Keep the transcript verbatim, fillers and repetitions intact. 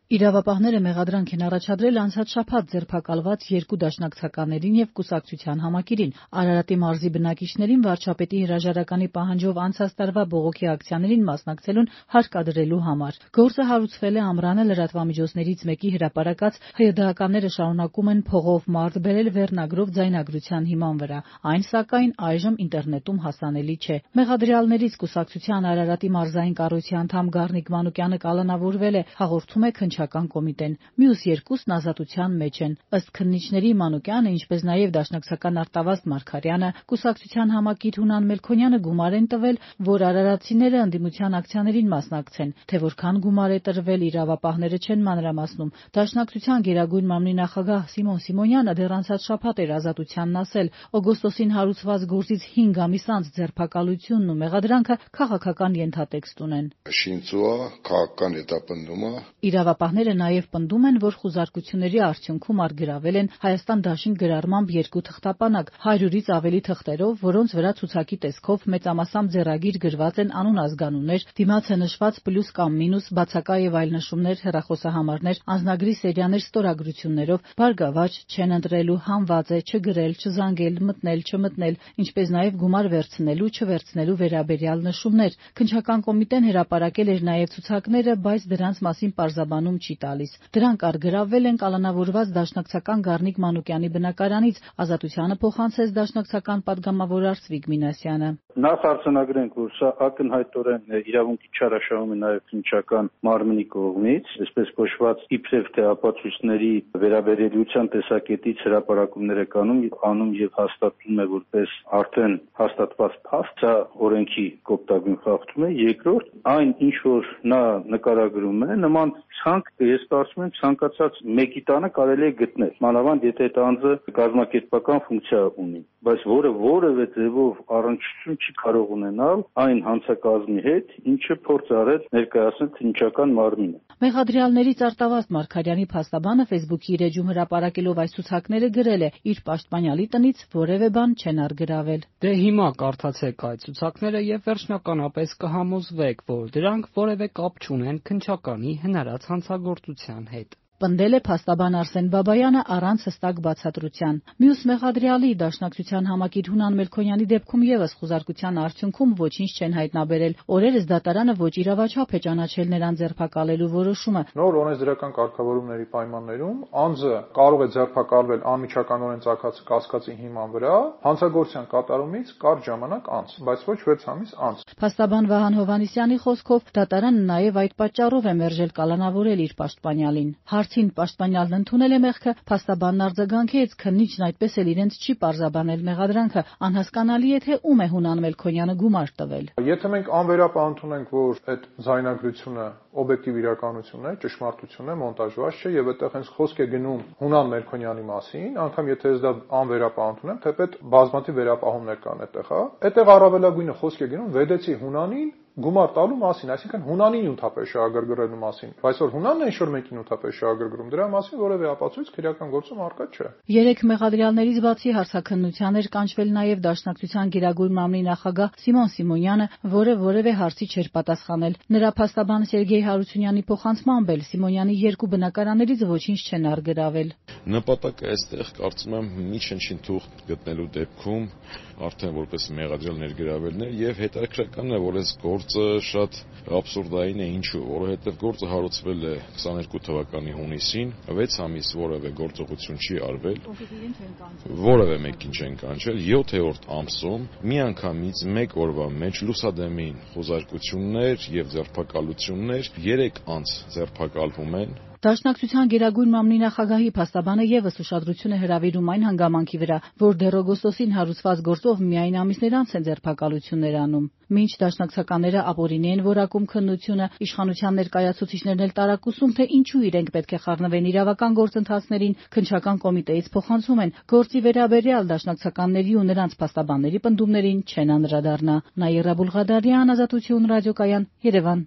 Իրավապահները մեղադրանք են առաջադրել անցած շաբաթ ձերբակալված երկու դաշնակցականներին եւ կուսակցության համակիրին, Արարատի մարզի բնակիչներին վարչապետի հրաժարականի պահանջով անցած տարվա բողոքի ակցիաներին մասնակցելուն հարկադրելու համար։ Գործը հարուցվել է Ամռանը լրատվամիջոցներից մեկի հրապարակած ՀՅԴ-ականները շարունակում են փողով մարդ բերել վերնագրով ձայնագրության հիման վրա, այն սակայն այժմ ինտերնետում հասանելի չէ։ Մեղադրյալներից կուսակցության Արարատի մարզային կառույցի անդամ Գառնիկ Մանուկյանը կալանավորվել է, հաղորդում է քննչական կոմիտեն։ Մյուս երկուսն ազատության մեջ են։ Ըստ քննիչների Մանուկյանը, ինչպես նաև դաշնակցական Արտավազդ Մարգարյանը, կուսակցության համակիր Հունան Մելքոնյանը գումար են տվել, որ արարատցիները ընդդիմության ակցիաներին մասնակցեն, թե որքան գումար է տրվել, իրավապահները չեն մանրամասնում։ Դաշնակցության Գերագույն մամլի նախագահ Սիմոն Սիմոնյանը դեռ անցած շաբաթ էր ազատությանն ասել, օգոստոսին հարուցված գործից հինգ ամիս անց ձերբակալությունն ու մեղադրանքը քաղաքական ենթատեքստ ունեն։ Քաղաքական հետապնդումը Իրավապահները նաև պնդում են, որ խուզարկությունների արդյունքում առգրավել են Հայաստան դաշինք գրառմամբ երկու թղթապանակ հարյուրից ավելի թղթերով, որոնց վրա ցուցակի տեսքով մեծամասամբ ձեռագիր գրված են անուն-ազգանուններ, դիմացը նշված պլյուս կամ մինուս, բացակա եւ այլ նշումներ, հեռախոսահամարներ, անձնագրի սերիաներ ստորագրություններով, բարգավաճ, չեն ընտրելու, հանված է, չգրել, չզանգել, մտնել, չմտնել, ինչպես նաև գումար վերցնելու, չվերցնելու վերաբերյալ նշումներ։ Քննչական կոմիտեն հրապարակել էր նաև ցուցակները, բայց դրանց մասին պարզաբանում չի տալիս։ Դրանք առգրավվել են կալանավորված դաշնակցական Գառնիկ Մանուկյանի բնակարանից, ազատությանը փոխանցեց դաշնակցական պատգամավոր Արծվիկ Մինասյանը։ Նախ արձանագրենք, որ սա ակնհայտորեն իրավունքի չարաշահում է նաև քննչական մարմնի կողմից, այսպես կոչված իբրև թե ապացույցների վերաբերելիության տեսակետից հրապարակումներ է կանում, անում եւ հաստատվում է որպես արդեն հաստատված փաստ, սա օրենքի կոպտագույն խախտում է։ Երկրորդ, այն ինչ որ նա նկարագրում է, նման ցանկ, ես կարծում եմ, ցանկացած մեկի տանը կարելի է գտնել, մանավանդ եթե այդ անձը կազմակերպական ֆունկցիա ունի, բայց որը որևէ ձևով առնչություն չի կարող ունենալ այն հանցակազմի հետ, ինչը փորձ արել ներկայացնել քննչական մարմինը։ Մեղադրյալներից Արտավազդ Մարգարյանի փաստաբանը Facebook-ի իր էջում հրապարակելով այս ցուցակները գրել է. իր պաշտպանյալի տնից որևէ բան չեն առգրավել։ Դե հիմա կարդացեք այդ ցուցակները եւ վերջնականապես կհամոզվեք, որ դրանք որևէ կապ չունեն քննչականի հնարած հանցագործության հետ։ Պնդել է փաստաբան Արսեն Բաբայանը առանց հստակ բացատրության։ Մյուս մեղադրյալի դաշնակցության համակիր Հունան Մելքոնյանի դեպքում եւս խուզարկության արդյունքում ոչինչ չեն հայտնաբերել։ Օրերս դատարանը ոչ իրավաչափ է ճանաչել նրան ձերբակալելու որոշումը։ Նոր օրենսդրական կարգավորումների պայմաններում անձը կարող է ձերբակալվել անմիջականորեն ծագած կասկածի հիման վրա հանցագործության կատարումից կարճ ժամանակ անց, բայց ոչ վեց ամիս անց։ Փաստաբան Վահան Հովհաննիսյանի խոսքով դատարանը նաեւ այդ պատճառով է մերժել կալանավորել իր պաշտպանյալին։ Հարցին պաշտպանյալն ընդունել է մեղքը, փաստաբանն արձագանքեց, քննիչն այդպես էլ իրենց չի պարզաբանել մեղադրանքը, անհասկանալի է թե ում է Հունան Մելքոնյանը գումար տվել։ Եթե մենք անվերապահ ընդունենք, որ այդ ձայնագրությունը օբյեկտիվ իրականություն է, ճշմարտություն է, մոնտաժված չէ եւ այդտեղ հենց խոսք է գնում Հունան Մելքոնյանի մասին, անգամ եթե ես դա անվերապահ ընդունեմ, թեպետ բազմաթիվ վերապահումներ կան այդտեղ, հա։ Այդտեղ առավելագույնը խոսք է գնում Վեդեցի Հունանին գումար տալու մասին, այսինքն Հունանին նյութապես շահագրգռելու մասին, բայց որ Հունանն է ինչ-որ մեկին նյութապես շահագրգռում, դրա մասին որևէ ապացույց քրեական գործում առկա չէ։ Երեք մեղադրյալներից բացի հարցաքննության էր կանչվել նաև դաշնակցության Գերագույն մամլի նախագահ Սիմոն Սիմոնյանը, որը որևէ հարցի չէր պատասխանել։ Նրա փաստաբան Սերգեյ Հարությունյանի փոխանցմամբ էլ Սիմոնյանի երկու բնակարաններից ոչինչ չեն առգրավել։ Նպատակը այստեղ կարծում եմ միջնչին թուղթ գտնելու դեպքում արդեն որպես մեղադրյալ ներգրավելն է եւ հետաքրքրական է, որ այս գործը շատ աբսուրդային է, ինչու, որովհետեւ գործը հարուցվել է քսաներկու թվականի հունիսին, վեց ամիս որևէ գործողություն չի արվել, որևէ մեկին չեն կանչել, յոթերորդ ամսում միանգամից մեկ օրվա մեջ լուսադեմին խոզարկություններ եւ ձերբակալություններ, երեք անձ ձերբակալվում են։ Դաշնակցության Գերագույն մամլի նախագահի փաստաբանը եւս ուշադրություն է հրավիրում այն հանգամանքի վրա, որ դեռ օգոստոսին հարուցված գործով միայն ամիսներ անց են ձերբակալություններ անում։ Մինչ դաշնակցականները ապօրինի են որակում քննությունը, իշխանության ներկայացուցիչներն էլ տարակուսում, թե ինչու իրենք պետք է խառնվեն իրավական գործընթացներին, քննչական կոմիտեից փոխանցում են գործի վերաբերյալ դաշնակցականների ու նրանց փաստաբանների պնդումներին չեն անդրադառնա։ Նաիրա Բուլղադարյան, Ազատություն ռադիոկայան, Երևան։